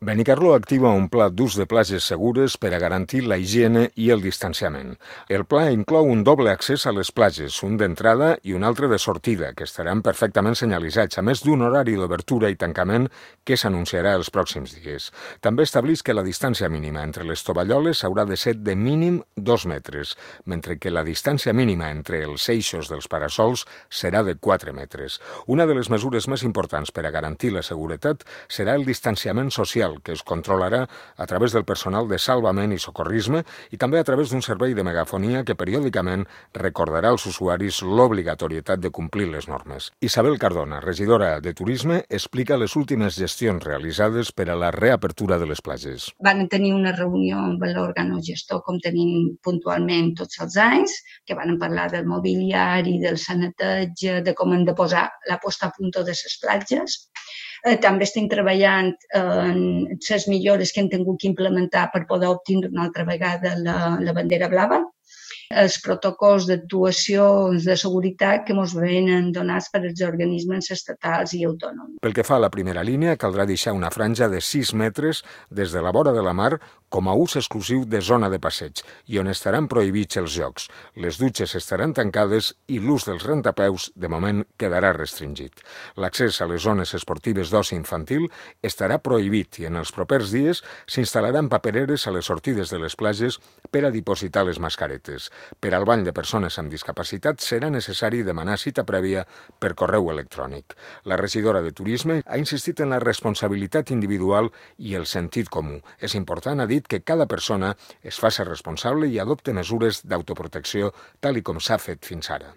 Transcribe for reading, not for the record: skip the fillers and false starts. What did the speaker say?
Benicarló activa un pla d'ús de platges segures per a garantir la higiene i el distanciament. El pla inclou un doble accés a les platges, un d'entrada i un altre de sortida, que estaran perfectament senyalitzats, a més d'un horari d'obertura i tancament que s'anunciarà els pròxims dies. També estableix que la distància mínima entre les tovalloles haurà de ser de mínim 2 metres, mentre que la distància mínima entre els eixos dels parasols serà de 4 metres. Una de les mesures més importants per a garantir la seguretat serà el distanciament social, que es controlarà a través del personal de salvament i socorrisme i també a través d'un servei de megafonia que periòdicament recordarà als usuaris l'obligatorietat de complir les normes. Isabel Cardona, regidora de Turisme, explica les últimes gestions realitzades per a la reapertura de les platges. Van tenir una reunió amb l'òrgano-gestor, com tenim puntualment tots els anys, que van parlar del mobiliari, del saneteig, de com hem de posar la posta a punt de les platges. També estem treballant en les millores que hem tingut que implementar per poder obtenir una altra vegada la bandera blava. Els protocols d'actuacions de seguretat que ens venen donats per els organismes estatals i autònoms. Pel que fa a la primera línia, caldrà deixar una franja de 6 metres des de la vora de la mar com a ús exclusiu de zona de passeig i on estaran prohibits els jocs. Les dutxes estaran tancades i l'ús dels rentapeus, de moment, quedarà restringit. L'accés a les zones esportives d'oci infantil estarà prohibit i en els propers dies s'instal·laran papereres a les sortides de les platges per a dipositar les mascaretes. Per al bany de persones amb discapacitat serà necessari demanar cita prèvia per correu electrònic. La regidora de Turisme ha insistit en la responsabilitat individual i el sentit comú. És important, ha dit, que cada persona es faci responsable i adopte mesures d'autoprotecció tal i com s'ha fet fins ara.